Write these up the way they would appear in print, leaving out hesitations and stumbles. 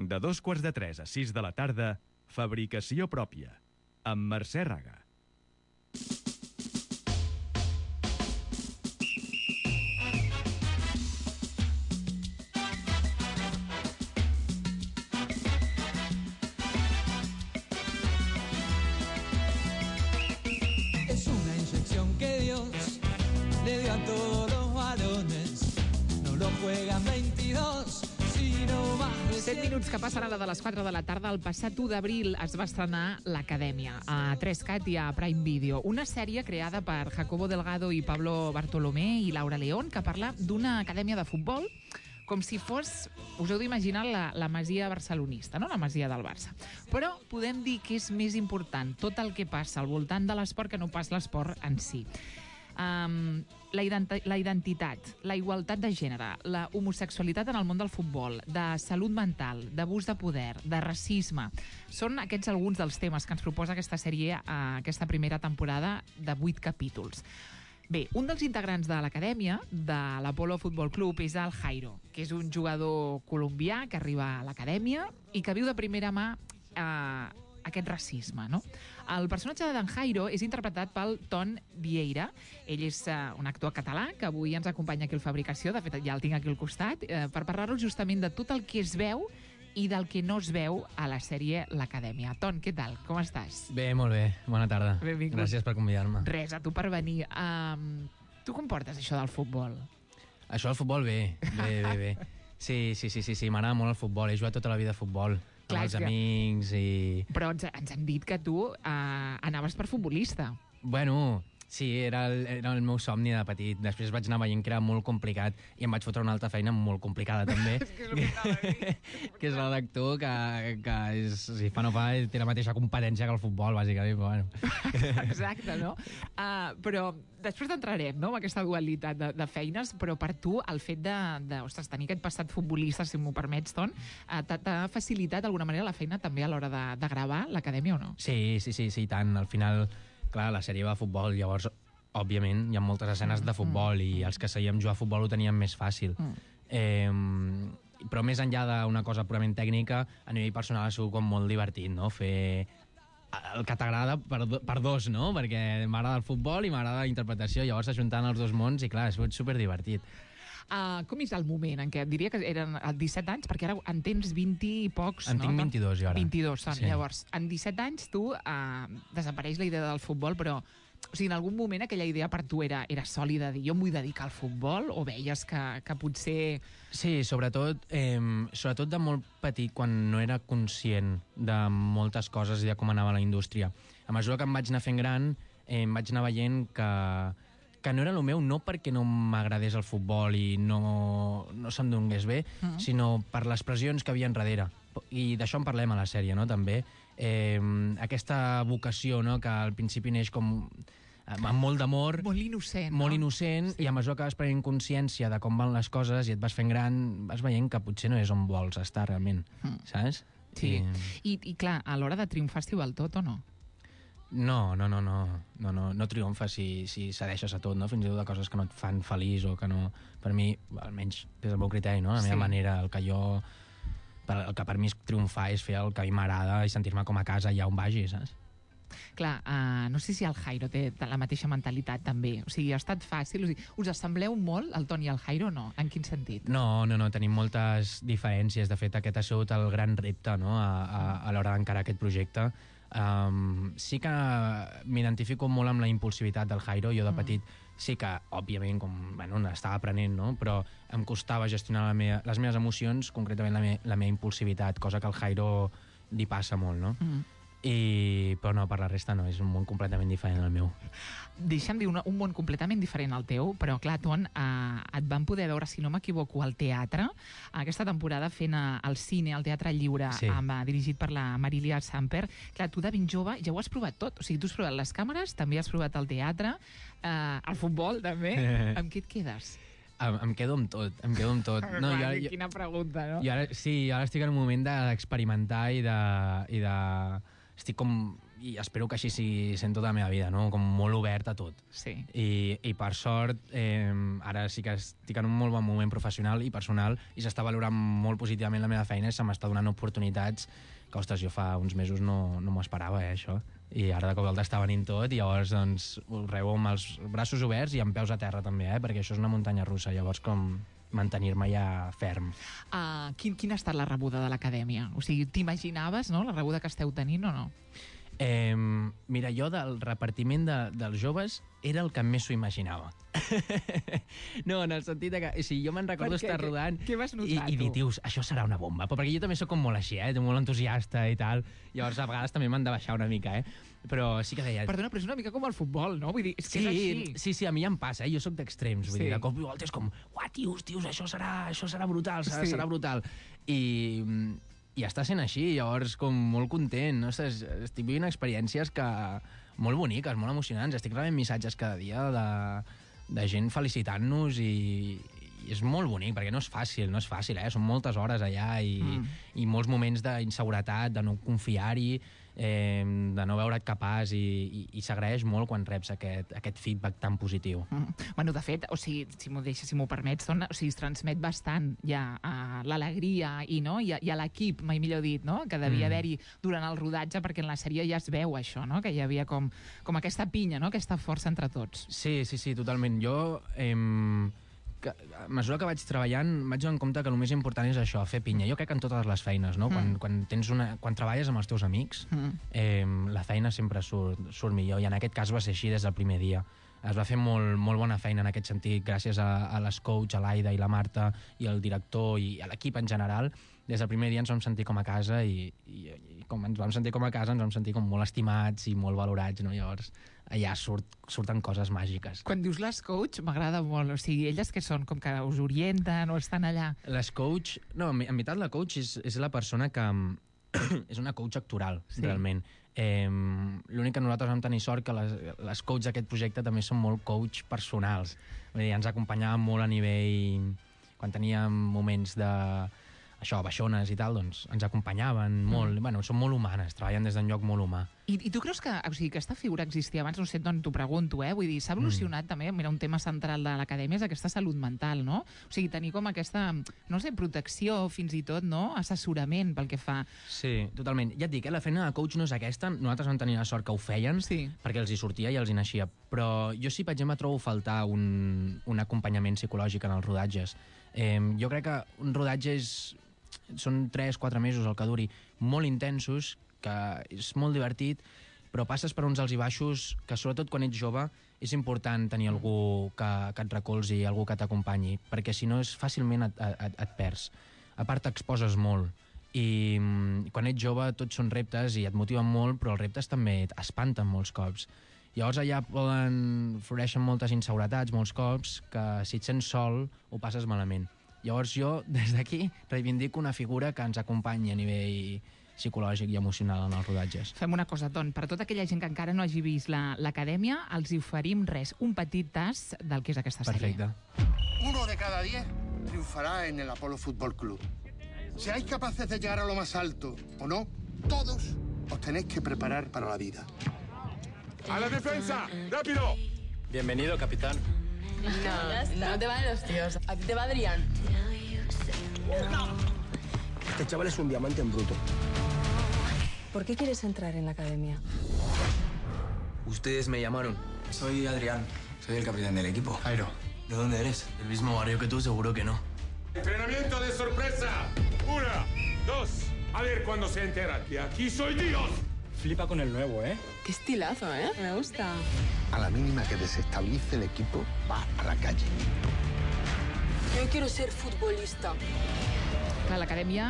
De 2:45 a 6 de la tarda, Fabricació pròpia, amb Mercè Raga. Es una inyección que Dios le dio a todos los varones. No lo juegan 22, sino más de 7 minuts que passen a la de les 4 de la tarda. El passat 1 d'abril es va estrenar l'Acadèmia a 3Cat i a Prime Video, una sèrie creada per Jacobo Delgado i Pablo Bartolomé i Laura León, que parla d'una acadèmia de futbol com si fos, us heu d'imaginar, la masia barcelonista, no? La masia del Barça. Però podem dir que és més important tot el que passa al voltant de l'esport que no pas l'esport en si. La identitat, la igualtat de gènere, la homosexualitat en el món del futbol, de salut mental, d'abús de poder, de racisme. Són aquests alguns dels temes que ens proposa aquesta sèrie a aquesta primera temporada de 8 capítols. Bé, un dels integrants de l'acadèmia de l'Apolo Futbol Club és el Jairo, que és un jugador colombià que arriba a l'acadèmia i que viu de primera mà aquest racisme, no? El personatge d'en Jairo és interpretat pel Ton Vieira. Ell és un actor català que avui ens acompanya aquí al Fabricació, de fet ja el tinc aquí al costat, per parlar-nos justament de tot el que es veu i del que no es veu a la sèrie L'Acadèmia. Ton, què tal? Com estàs? Bé, molt bé. Bona tarda. Benvingut. Gràcies per convidar-me. Res, a tu per venir. Tu com portes això del futbol? Això del futbol, bé. Sí, m'agrada molt el futbol. He jugat tota la vida a futbol. Clar, amb els amics i... Però ens han dit que tu anaves per futbolista. Bueno, sí, era el meu somni de petit. Després vaig anar veient que era molt complicat i em vaig fotre una altra feina molt complicada també. Que és la d'actor, que és, si fa no fa, té la mateixa competència que el futbol, bàsicament. Bueno. Exacte, no? Però després entrarem, no?, amb aquesta dualitat de feines, però per tu el fet de tenir aquest passat futbolista, si m'ho permets, Ton, t'ha facilitat d'alguna manera la feina també a l'hora de gravar l'Acadèmia o no? Sí, tant. Al final, clar, la sèrie va a futbol, llavors, òbviament, hi ha moltes escenes de futbol i els que sabíem jugar a futbol ho teníem més fàcil. Però més enllà d'una cosa purament tècnica, a nivell personal ha sigut com molt divertit, no?, fer el que t'agrada per dos, no?, perquè m'agrada el futbol i m'agrada la interpretació, llavors ajuntant els dos mons i clar, ha sigut superdivertit. Com és el moment en què, diria que eren 17 anys, perquè ara en tens 20 i pocs, no? En tinc 22 jo ara. 22, sí. Llavors, en 17 anys tu desapareix la idea del futbol, però o sigui, en algun moment aquella idea per tu era sòlida, de dir, jo em vull dedicar al futbol, o veies que potser... Sí, sobretot de molt petit, quan no era conscient de moltes coses i de com anava la indústria. A mesura que em vaig anar fent gran, em vaig anar veient que no era el meu, no perquè no m'agradés el futbol i no se'm donés bé, sinó per les pressions que havia enrere. I d'això en parlem a la sèrie, no?, també. Aquesta vocació, no?, que al principi neix com amb molt d'amor, molt innocent, molt innocent, sí. I a mesura que vas prenent consciència de com van les coses i et vas fent gran, vas veient que potser no és on vols estar realment, saps? Sí, i clar, a l'hora de triomfar estiu al tot o no? No triomfes si cedeixes a tot, no? Fins i tot de coses que no et fan feliç o que no... Per mi, almenys des del meu criteri, no? La meva manera, el que per mi és triomfar és fer el que a mi m'agrada i sentir-me com a casa allà on vagi, saps? Clar, no sé si el Jairo té la mateixa mentalitat també, o sigui, ha estat fàcil, o sigui, us assembleu molt, el Ton i el Jairo, o no? En quin sentit? No, tenim moltes diferències, de fet aquest ha sigut el gran repte, no?, a l'hora d'encarar aquest projecte. Sí que m'identifico molt amb la impulsivitat del Jairo. Jo de petit sí que, òbviament, estava aprenent, no?, però em costava gestionar les meves emocions, concretament la meva impulsivitat, cosa que al Jairo li passa molt, no? Però no, per la resta no, és un món completament diferent al meu. Deixa'm dir, un món completament diferent al teu, però clar, Ton, et van poder veure, si no m'equivoco, al teatre, aquesta temporada fent el cine, al Teatre Lliure, sí. Dirigit per la Marilia Samper. Clar, tu de ben jove ja ho has provat tot, o sigui, tu has provat les càmeres, també has provat el teatre, el futbol també, amb què et quedes? Em quedo amb tot. No, quina pregunta, no? Ara estic en un moment d'experimentar i de estic com i espero que així sigui sent tota la meva vida, no? Com molt obert a tot. Sí. I per sort, ara sí que estic en un molt bon moment professional i personal i s'està valorant molt positivament la meva feina i se m'està donant oportunitats que, ostres, jo fa uns mesos no m'ho esperava, això. I ara de cop volta està venint tot i llavors doncs, ho rebo amb els braços oberts i amb peus a terra també, perquè això és una muntanya russa, llavors com mantenir-me ja ferm. Quina ha estat la rebuda de l'acadèmia? O sigui, t'imaginaves, no?, la rebuda que esteu tenint o no? Mira, jo del repartiment dels joves era el que més s'ho imaginava. No, en el sentit que... O sigui, jo me'n recordo estar rodant què vas notar, i dir, tios, això serà una bomba. Però perquè jo també sóc com molt així, molt entusiasta i tal. Llavors, a vegades també m'han de baixar una mica, Però sí que deia... Perdona, però és una mica com el futbol, no? Vull dir, és que és així. Sí, a mi ja em passa, Jo sóc d'extrems. Vull dir, de cop i volta és com, uah, tios, això serà brutal, serà brutal. I està sent així, llavors com molt content, no? Estic vivint experiències molt boniques, molt emocionants, estic rebent missatges cada dia de gent felicitant-nos i és molt bonic, perquè no és fàcil, són moltes hores allà i molts moments d'inseguretat, de no confiar-hi, de no veure't capaç i s'agraeix molt quan reps aquest feedback tan positiu. Bueno, de fet, o sigui, si m'ho permets, es transmet bastant ja l'alegria i a l'equip, mai millor dit, no?, que devia haver-hi durant el rodatge, perquè en la sèrie ja es veu això, no?, que hi havia com aquesta pinya, no?, aquesta força entre tots. Sí, totalment. Jo... a mesura que vaig treballant vaig donar compte que el més important és això, fer pinya. Jo crec que en totes les feines, no? Quan treballes amb els teus amics, la feina sempre surt millor, i en aquest cas va ser així des del primer dia. Es va fer molt bona feina en aquest sentit, gràcies a les coach, a l'Aida i la Marta, i al director i a l'equip en general. Des del primer dia ens vam sentir com a casa i com ens vam sentir com a casa ens vam sentir com molt estimats i molt valorats, no? Llavors allà surten coses màgiques. Quan dius les coach, m'agrada molt. O sigui, elles què són? Com que us orienten o estan allà? Les coach... No, en veritat la coach és la persona que... és una coach actoral, realment. L'únic que nosaltres vam tenir sort que les coach d'aquest projecte també són molt coach personals. Vull dir, ens acompanyaven molt a nivell... Quan teníem moments de... baixones i tal, doncs ens acompanyaven molt. Bueno, són molt humanes, treballen des d'un lloc molt humà. I tu creus que aquesta figura existia abans? No sé d'on t'ho pregunto, Vull dir, s'ha evolucionat també, mira, un tema central de l'acadèmia és aquesta salut mental, no? O sigui, tenir com aquesta, no sé, protecció, fins i tot, no? Assessorament pel que fa. Sí, totalment. Ja et dic, la feina de coach no és aquesta, nosaltres vam tenir la sort que ho feien, perquè els hi sortia i els hi naixia. Però jo sí, per exemple, trobo faltar un acompanyament psicològic en els rodatges. Jo crec que un rodatge són 3-4 mesos el que duri, molt intensos, que és molt divertit, però passes per uns alts i baixos que, sobretot quan ets jove, és important tenir algú que et recolzi, algú que t'acompanyi, perquè si no fàcilment et perds. A part, t'exposes molt. I quan ets jove tots són reptes i et motiven molt, però els reptes també espanten molts cops. Llavors allà floreixen moltes inseguretats, molts cops, que si et sents sol ho passes malament. Llavors jo, des d'aquí, reivindico una figura que ens acompanyi a nivell psicològic i emocional en els rodatges. Fem una cosa, Ton, per a tota aquella gent que encara no hagi vist l'acadèmia, els hi oferim un petit tas del que és aquesta sèrie. Perfecte. 1 de cada 10 triunfará en el Apolo Fútbol Club. Seáis capaces de llegar a lo más alto o no, todos os tenéis que preparar para la vida. ¡A la defensa! ¡Rápido! Bienvenido, capitán. No te valen los tíos. A ti te va Adrián. Este chaval es un diamante en bruto. ¿Por qué quieres entrar en la academia? Ustedes me llamaron. Soy Adrián. Soy el capitán del equipo. Jairo. ¿De dónde eres? ¿Del mismo barrio que tú? Seguro que no. ¡Entrenamiento de sorpresa! 1, 2. A ver cuándo se enteran que aquí soy Dios. Flipa con el nuevo, ¿eh? Qué estilazo, Me gusta. A la mínima que desestabilice el equipo, va a la calle. Yo quiero ser futbolista. Clar, l'acadèmia,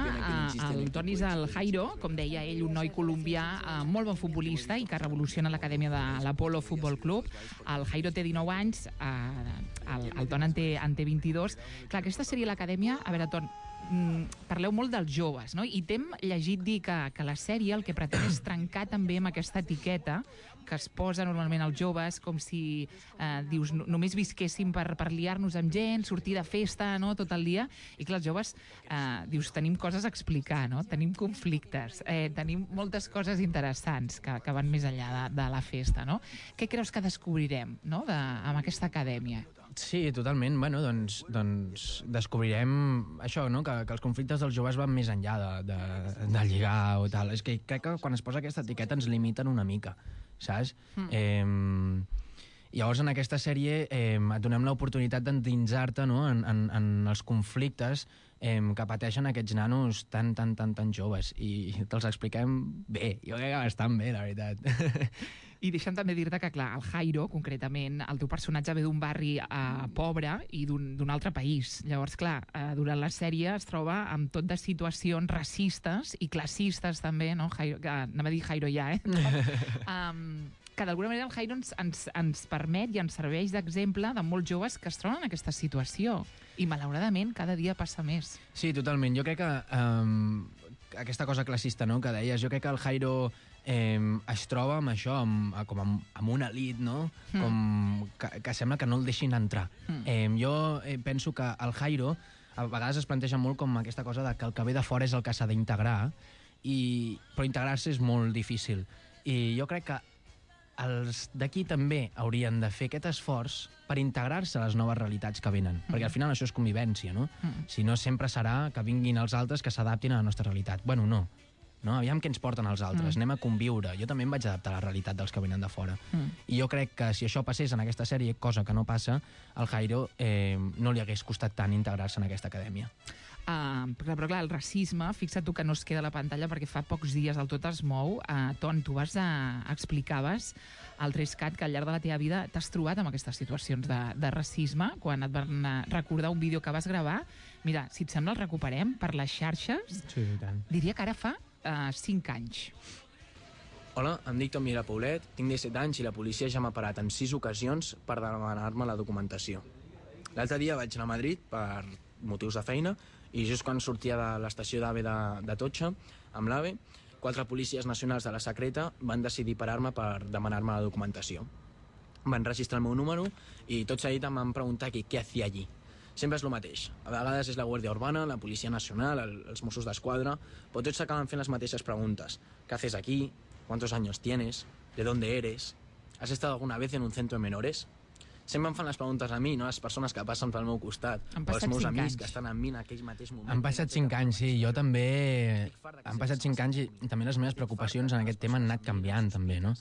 el Toni és el Jairo, com deia ell, un noi colombià molt bon futbolista i que revoluciona l'acadèmia de l'Apolo Futbol Club. El Jairo té 19 anys, el Ton en té 22. Clar, aquesta sèrie l'acadèmia, a veure, Ton, parleu molt dels joves, no? I t'hem llegit dir que la sèrie el que pretén és trencar també amb aquesta etiqueta que es posa normalment als joves, com si, dius, només visquéssim per liar-nos amb gent, sortir de festa, no?, tot el dia. I clar, els joves, dius, tenim coses a explicar, no? Tenim conflictes, tenim moltes coses interessants que van més enllà de la festa, no? Què creus que descobrirem, no?, amb aquesta acadèmia? Sí, totalment. Bueno, doncs descobrirem això, no?, que els conflictes dels joves van més enllà de lligar o tal. És que crec que quan es posa aquesta etiqueta ens limiten una mica, saps? Llavors, en aquesta sèrie et donem l'oportunitat d'endinsar-te, no?, en els conflictes que pateixen aquests nanos tan joves. I te'ls expliquem bé. Jo crec que bastant bé, la veritat. I deixa'm també dir-te que, clar, el Jairo, concretament, el teu personatge ve d'un barri pobre i d'un altre país. Llavors, clar, durant la sèrie es troba amb tot de situacions racistes i classistes, també, no? Anava a dir Jairo ja, que d'alguna manera el Jairo ens permet i ens serveix d'exemple de molts joves que es troben en aquesta situació. I, malauradament, cada dia passa més. Sí, totalment. Jo crec que aquesta cosa classista, no?, que deies, jo crec que el Jairo es troba amb això, com amb una elit, no?, com que sembla que no el deixin entrar. Jo penso que el Jairo a vegades es planteja molt com aquesta cosa de que el que ve de fora és el que s'ha d'integrar, però integrar-se és molt difícil. I jo crec que els d'aquí també haurien de fer aquest esforç per integrar-se a les noves realitats que venen, perquè al final això és convivència, no? Si no, sempre serà que vinguin els altres que s'adaptin a la nostra realitat. Bueno, no. Aviam què ens porten els altres, anem a conviure. Jo també em vaig adaptar a la realitat dels que venen de fora. I jo crec que si això passés en aquesta sèrie, cosa que no passa, al Jairo no li hagués costat tant integrar-se en aquesta acadèmia. Però clar, el racisme, fixa't tu que no es queda a la pantalla perquè fa pocs dies el Tot es mou. Ton, tu explicaves al 3CAT que al llarg de la teva vida t'has trobat amb aquestes situacions de racisme quan et van recordar un vídeo que vas gravar. Mira, si et sembla el recuperem per les xarxes. Sí, i tant. Diria que ara fa 5 anys. Hola, em dic Tom Mira Paulet, tinc 17 anys i la policia ja m'ha parat en 6 ocasions per demanar-me la documentació. L'altre dia vaig anar a Madrid per motius de feina i just quan sortia de l'estació d'AVE de Totxa, amb l'AVE, 4 policies nacionals de la secreta van decidir parar-me per demanar-me la documentació. Van registrar el meu número i tot seguit em van preguntar què hacía allí. Sempre és el mateix. A vegades és la Guàrdia Urbana, la Policia Nacional, els Mossos d'Esquadra, però tots acaben fent les mateixes preguntes. ¿Qué haces aquí? ¿Cuántos años tienes? ¿De dónde eres? ¿Has estado alguna vez en un centro de menores? Sempre em fan les preguntes a mi, no? Les persones que passen pel meu costat, o els meus amics que estan amb mi en aquell mateix moment. Han passat 5 anys, sí. Jo també... Han passat 5 anys i també les meves preocupacions en aquest tema han anat canviant, també, no?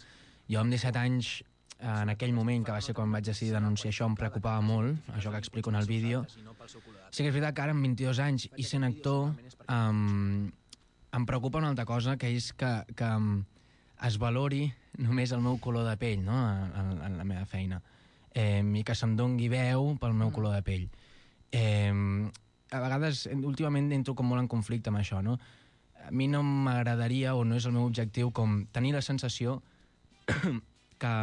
Jo amb 17 anys, en aquell moment, que va ser quan vaig decidir denunciar això, em preocupava molt, això que explico en el vídeo. Sí que és veritat que ara, amb 22 anys, i sent actor, em preocupa una altra cosa, que és que es valori només el meu color de pell, no?, en la meva feina. I que se'm dongui veu pel meu color de pell. A vegades, últimament, entro com molt en conflicte amb això, no? A mi no m'agradaria, o no és el meu objectiu, com tenir la sensació que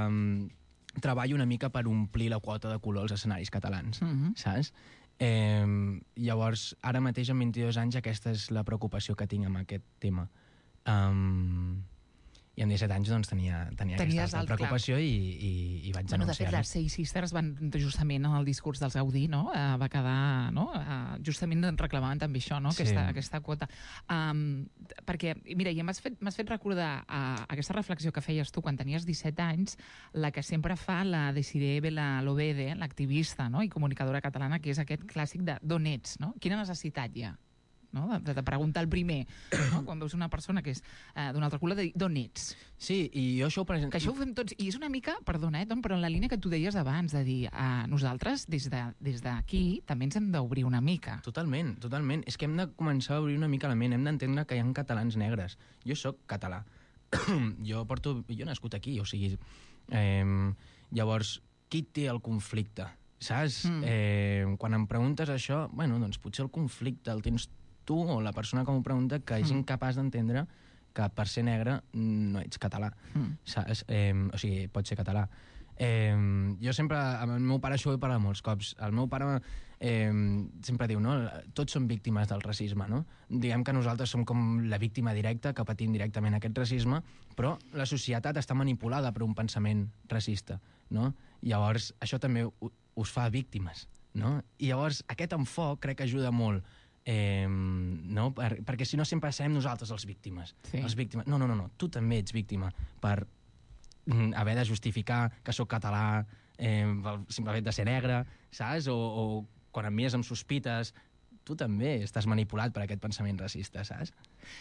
treballo una mica per omplir la quota de color als escenaris catalans, saps? Llavors, ara mateix, amb 22 anys, aquesta és la preocupació que tinc amb aquest tema. I amb 17 anys doncs, tenia aquesta preocupació i vaig denunciar-la. De fet, les Seis Sisters van justament en el discurs dels Gaudí, no? Va quedar, no? Justament reclamaven també això, no? Aquesta quota. Perquè, mira, i m'has fet recordar aquesta reflexió que feies tu quan tenies 17 anys, la que sempre fa la Desiree Belalobede, l'activista, no?, i comunicadora catalana, que és aquest clàssic de d'on ets, no? Quina necessitat hi ha? No? De preguntar el primer, no? Quan veus una persona que és d'un altre color, de dir d'on ets. Sí, i jo això ho presento... Que això ho fem tots, i és una mica, perdona, Tom, però en la línia que tu deies abans, de dir, nosaltres des d'aquí també ens hem d'obrir una mica. Totalment. És que hem de començar a obrir una mica la ment, hem d'entendre que hi ha catalans negres. Jo sóc català. Jo he nascut aquí, o sigui... Llavors, qui té el conflicte? Saps? Quan em preguntes això, bueno, doncs potser el conflicte el tens tu o la persona que m'ho pregunta, que és incapaç d'entendre que per ser negre no ets català. Saps? O sigui, pots ser català. Jo sempre, amb el meu pare això ho he parlat molts cops. El meu pare sempre diu, no? Tots som víctimes del racisme, no? Diguem que nosaltres som com la víctima directa, que patim directament aquest racisme, però la societat està manipulada per un pensament racista, no? Llavors, això també us fa víctimes, no? I llavors, aquest enfoc crec que ajuda molt, no? Perquè si no sempre serem nosaltres els víctimes. Sí. Els víctimes. No, tu també ets víctima per haver de justificar que sóc català pel simple fet de ser negre, saps? O quan em mires amb sospites, tu també estàs manipulat per aquest pensament racista, saps?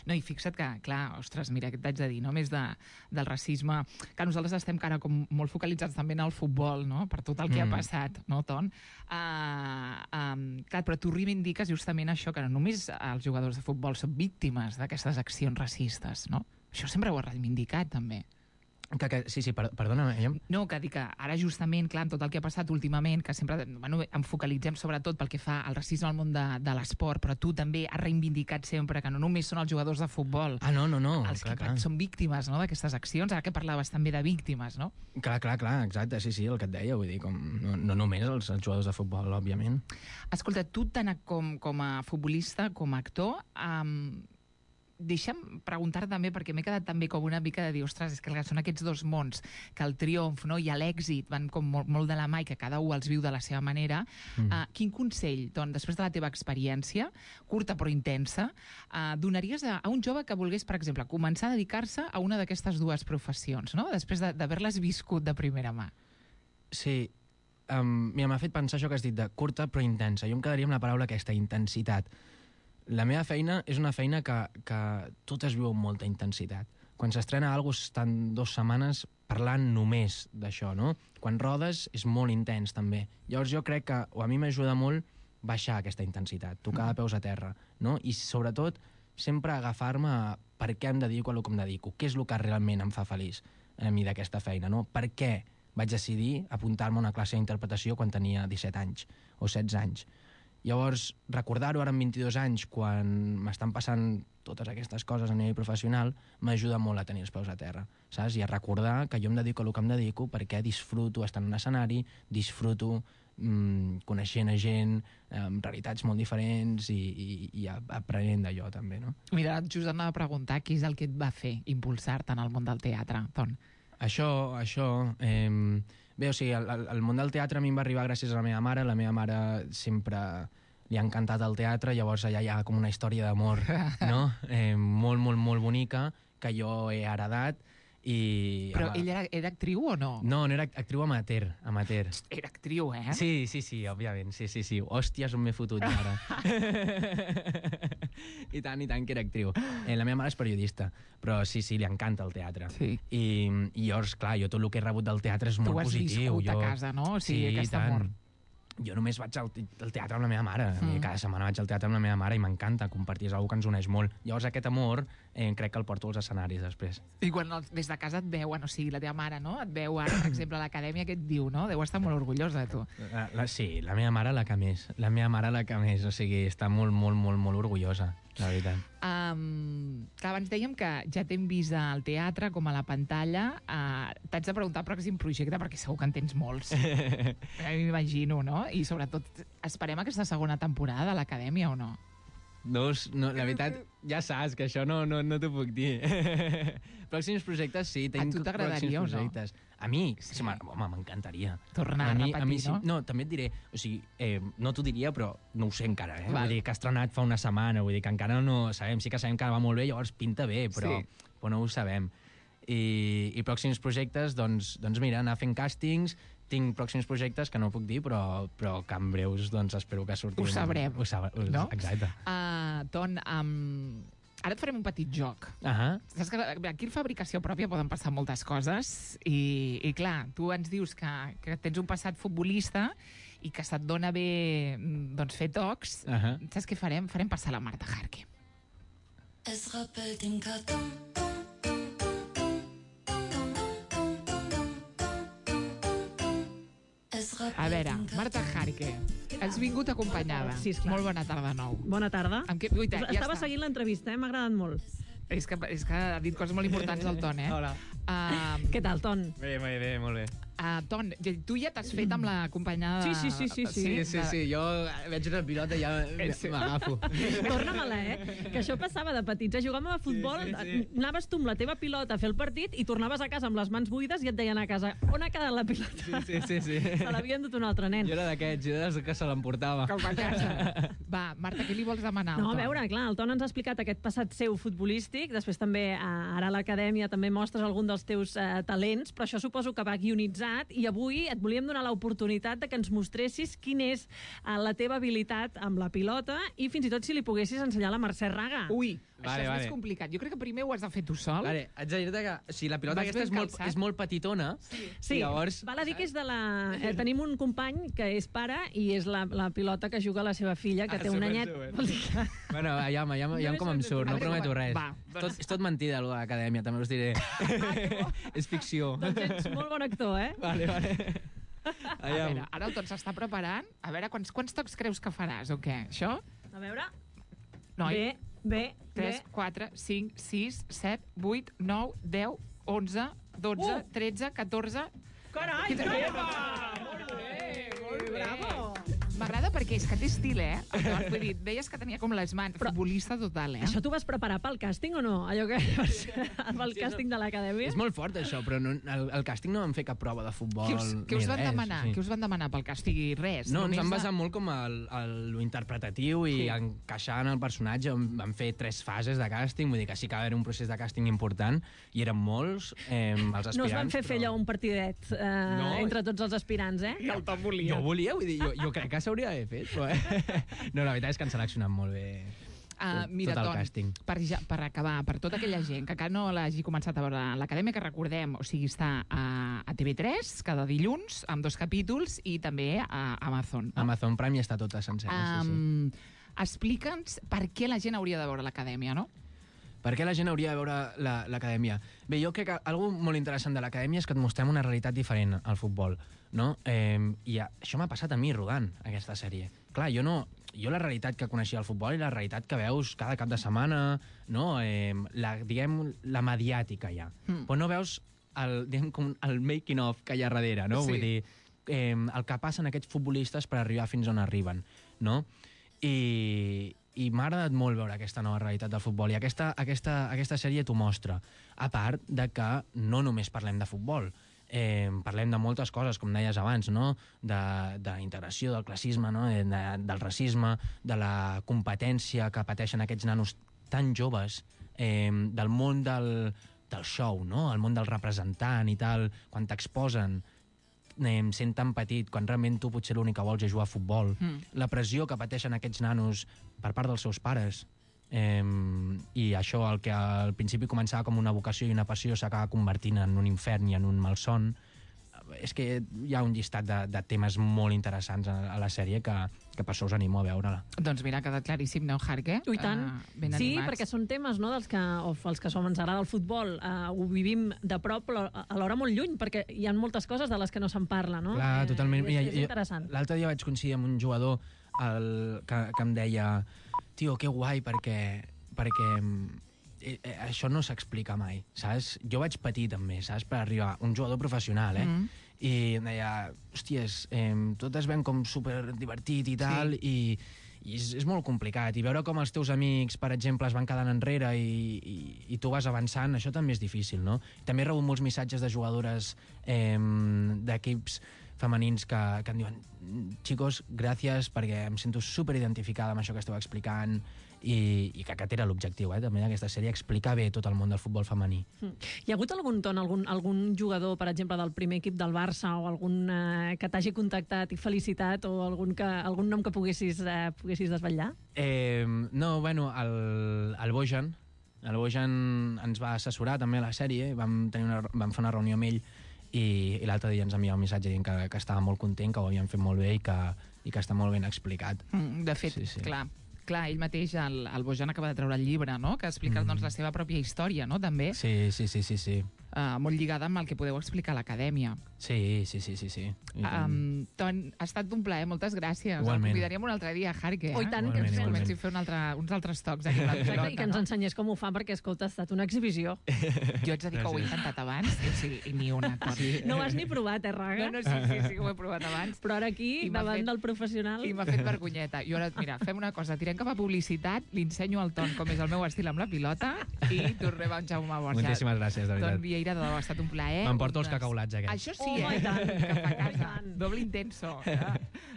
No, i fixa't que, clar, ostres, mira, què t'haig de dir, no? Més del racisme, que nosaltres estem cara com molt focalitzats també en el futbol, no? Per tot el que ha passat, no, Ton? Clar, però tu reivindiques justament això, que no només els jugadors de futbol són víctimes d'aquestes accions racistes, no? Això sempre ho has reivindicat, també. Sí, perdona. No, que dic que ara justament, clar, amb tot el que ha passat últimament, que sempre em focalitzem sobretot pel que fa al racisme al món de l'esport, però tu també has reivindicat sempre que no només són els jugadors de futbol no. Els que són víctimes, no?, d'aquestes accions, ara que parlaves també de víctimes, no? Clar, exacte, sí, el que et deia, vull dir, no només els jugadors de futbol, òbviament. Escolta, tu tant com a futbolista, com a actor, deixa'm preguntar també, perquè m'he quedat també com una mica de dir, ostres, és que són aquests dos mons, que el triomf, no, i l'èxit van com molt de la mà i que cada un els viu de la seva manera. Quin consell, doncs, després de la teva experiència, curta però intensa, donaries a un jove que volgués, per exemple, començar a dedicar-se a una d'aquestes dues professions, no?, després d'haver-les viscut de primera mà? Sí, mira, m'ha fet pensar això que has dit de curta però intensa. Jo em quedaria amb la paraula aquesta, intensitat. La meva feina és una feina que tot es viu amb molta intensitat. Quan s'estrena alguna cosa estan 2 setmanes parlant només d'això, no? Quan rodes és molt intens, també. Llavors jo crec que, o a mi m'ajuda molt, baixar aquesta intensitat, tocar de peus a terra, no? I sobretot sempre agafar-me a per què em dedico a el que em dedico, què és el que realment em fa feliç a mi d'aquesta feina, no? Per què vaig decidir apuntar-me a una classe d'interpretació quan tenia 17 anys o 16 anys? Llavors, recordar-ho ara amb 22 anys, quan m'estan passant totes aquestes coses a nivell professional, m'ajuda molt a tenir els peus a terra, saps? I a recordar que jo em dedico a el que em dedico perquè disfruto estar en un escenari, disfruto coneixent a gent amb realitats molt diferents i aprenent d'allò també, no? Mira, just anava a preguntar què és el que et va fer impulsar-te en el món del teatre, Ton. Això... Bé, o sigui, el món del teatre a mi em va arribar gràcies a la meva mare. La meva mare sempre li ha encantat el teatre, llavors allà hi ha com una història d'amor, no? Molt, molt, molt bonica, que jo he heredat. Però ella era actriu o no? No era actriu amateur. Era actriu, eh? Sí, òbviament, sí. Hòsties, on m'he fotut ara. I tant que era actriu. La meva mare és periodista, però sí, li encanta el teatre. Sí. I llavors, clar, jo tot el que he rebut del teatre és molt positiu. Tu has viscut a casa, no? O sigui, aquest amor. Jo només vaig al teatre amb la meva mare. Cada setmana vaig al teatre amb la meva mare i m'encanta compartir, és una cosa que ens uneix molt. Llavors aquest amor crec que el porto als escenaris després. I quan des de casa et veuen, o sigui, la teva mare, no? Et veu ara, per exemple, a l'acadèmia, què et diu, no? Deu estar molt orgullosa de tu. Sí, la meva mare la que més. O sigui, està molt, molt, molt, molt orgullosa, la veritat. Que abans dèiem que ja t'hem vist al teatre com a la pantalla. T'haig de preguntar el pròxim projecte, perquè segur que en tens molts. M'imagino, no? I sobretot, esperem aquesta segona temporada de l'acadèmia o no? No, la veritat, ja saps que això no t'ho puc dir. Pròxims projectes, sí. A tu t'agradaria o no? A mi, home, m'encantaria. Tornar a repetir, no? No, també et diré, o sigui, no t'ho diria, però no ho sé encara, eh? Vull dir que ha estrenat fa una setmana, vull dir que encara no sabem, sí que sabem que va molt bé, llavors pinta bé, però no ho sabem. I pròxims projectes, doncs mira, anar fent càstings. Tinc pròxims projectes que no puc dir, però que en breus espero que surtin. Ho sabrem, no? Exacte. Ton, ara et farem un petit joc. Saps que aquí en fabricació pròpia poden passar moltes coses i clar, tu ens dius que tens un passat futbolista i que se't dona bé fer tocs. Saps què farem? Farem passar la Marta Jarque. Es rappelle den carton. A veure, Marta Jarque, has vingut acompanyada. Sí, esclar. Molt bona tarda, nou. Bona tarda. Estava seguint l'entrevista, m'ha agradat molt. És que ha dit coses molt importants del Ton, eh? Hola. Què tal, Ton? Bé, molt bé. Ton, tu ja t'has fet amb la companya de... Sí, jo veig una pilota i ja m'agafo. Torna-me-la, que això passava de petits. Jugàvem a futbol, anaves tu amb la teva pilota a fer el partit i tornaves a casa amb les mans buides i et deien a casa, on ha quedat la pilota? Sí. Se l'havien dut un altre nen. Jo era d'aquests, jo era que se l'emportava. Com a casa. Va, Marta, què li vols demanar? No, a veure, clar, el Ton ens ha explicat aquest passat seu futbolístic, després també ara a l'acadèmia també mostres algun dels teus talents, però això suposo que va guionitzat i avui et volíem donar l'oportunitat de que ens mostressis quina és la teva habilitat amb la pilota i fins i tot si li poguessis ensenyar a la Mercè Raga. Ui, això és més complicat. Jo crec que primer ho has de fer tu sol. Vale, haig de dir-te que si la pilota aquesta és molt petitona, sí, llavors... Val a dir que és de la... tenim un company que és pare i és la pilota que juga la seva filla, que té un anyet. Bueno, aviam com em surt, no prometo res. És tot mentida, allò de l'acadèmia, també us diré. És ficció. Doncs ets molt bon actor, Vale. A veure, ara el Ton s'està preparant. A veure, quants tocs creus que faràs, o què? Això? A veure... Noi. Bé. 3, 4, 5, 6, 7, 8, 9, 10, 11, 12, 13, 14... Carai! Molt bé! Bravo! M'agrada perquè és que té estil, Vull dir, deies que tenia com les mans, futbolista total, Això t'ho vas preparar pel càsting o no? Allò que el càsting de l'acadèmia? És molt fort, això, però el càsting no vam fer cap prova de futbol. Què us van demanar? Què us van demanar pel càsting? Res. No, ens vam basar molt com lo interpretatiu i encaixar en el personatge. Vam fer 3 fases de càsting, vull dir que sí que va haver un procés de càsting important i eren molts els aspirants. No us van fer allò un partidet entre tots els aspirants, I el Tom volia. Jo volia, vull dir, jo crec que s'hauria d'haver fet, però no, la veritat és que han seleccionat molt bé tot el càsting. Per acabar, per tota aquella gent que encara no l'hagi començat a veure l'acadèmia, que recordem, o sigui, està a TV3 cada dilluns, amb 2 capítols, i també a Amazon. Amazon Prime ja està tota sencera, sí. Explica'ns per què la gent hauria de veure l'acadèmia, no? Per què la gent hauria de veure l'acadèmia? Bé, jo crec que algo molt interessant de l'acadèmia és que et mostrem una realitat diferent al futbol, no? I això m'ha passat a mi rodant aquesta sèrie. Clar, jo la realitat que coneixia al futbol i la realitat que veus cada cap de setmana, no? La mediàtica ja. Però no veus el making of que hi ha darrere, no? Vull dir, el que passen aquests futbolistes per arribar fins on arriben, no? I m'ha agradat molt veure aquesta nova realitat del futbol i aquesta sèrie t'ho mostra. A part de que no només parlem de futbol, parlem de moltes coses, com deies abans, no? De la integració, del classisme, no? Del racisme, de la competència que pateixen aquests nanos tan joves, del món del show, no? El món del representant i tal, quan t'exposen sent tan petit, quan realment tu potser l'únic que vols és jugar a futbol. La pressió que pateixen aquests nanos per part dels seus pares. I això, el que al principi començava com una vocació i una passió, s'acaba convertint en un infern i en un malson. És que hi ha un llistat de temes molt interessants a la sèrie que per això us animo a veure-la. Doncs mira, ha quedat claríssim, no, Jarque? I tant. Sí, perquè són temes, no, els que ens agrada el futbol. Ho vivim de prop, però alhora molt lluny, perquè hi ha moltes coses de les que no se'n parla, no? Clar, totalment. És interessant. L'altre dia vaig coincidir amb un jugador que em deia tio, que guai, perquè això no s'explica mai, saps? Jo vaig patir també, saps? Per arribar un jugador professional, i em deia, hòsties, tot es ven com super divertit i tal, i és molt complicat. I veure com els teus amics, per exemple, es van quedant enrere i tu vas avançant, això també és difícil, no? També he rebut molts missatges de jugadores d'equips femenins que em diuen xicos, gràcies, perquè em sento superidentificada amb això que esteu explicant, i que aquest era l'objectiu, també d'aquesta sèrie, explicar bé tot el món del futbol femení. Hi ha hagut algun jugador, per exemple, del primer equip del Barça o algun que t'hagi contactat i felicitat, o algun nom que poguessis desvetllar? No, bueno, el Bojan ens va assessorar també a la sèrie, vam fer una reunió amb ell i l'altre dia ens enviava un missatge dient que estava molt content, que ho havien fet molt bé i que està molt ben explicat. De fet, clar, ell mateix, el Bojan, acaba de treure el llibre, no?, que explica la seva pròpia història, no?, també. Sí. molt lligada amb el que podeu explicar a l'acadèmia. Sí. Ton, ha estat un plaer, moltes gràcies. Igualment. El convidaríem un altre dia, Jarque. Oh, i tant, que ens igualment. comenci a fer uns altres tocs aquí amb la pilota, I que ens ensenyés com ho fa, perquè, escolta, ha estat una exhibició. Jo haig de dir que ho he intentat abans, o sigui, i ni una. No ho has ni provat, Raga? No, sí que ho he provat abans. Però ara aquí, davant del professional... I m'ha fet vergonyeta. I ara, mira, fem una cosa, tirem cap a publicitat, li ensenyo al Ton com és el meu estil amb la pilota i tornem a en Jaume Borja. Moltíssimes gràcies, de veritat. Ton Vieira, de debò, ha estat un plaer. M'emporto els cacaulats aquests. Això sí, cap a casa. Doble intenso.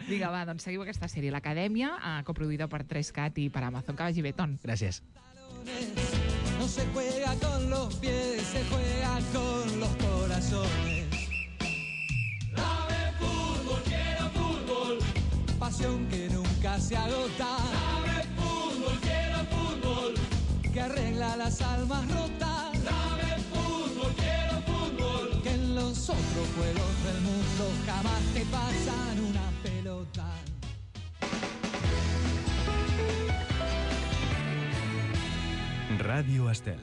Vinga, va, doncs seguiu aquesta sèrie. L'Acadèmia, coproduïda per 3CAT i per Amazon. Que vagi bé, Ton. Gràcies. No se juega con los pies, se juega con los corazones. Dame fútbol, quiero fútbol. Pasión que nunca se agota. Dame fútbol, quiero fútbol. Que arregla las almas rotas. Dame fútbol, quiero fútbol. Que en los otros juegos del mundo jamás te pasan una pelota. Ràdio Estel.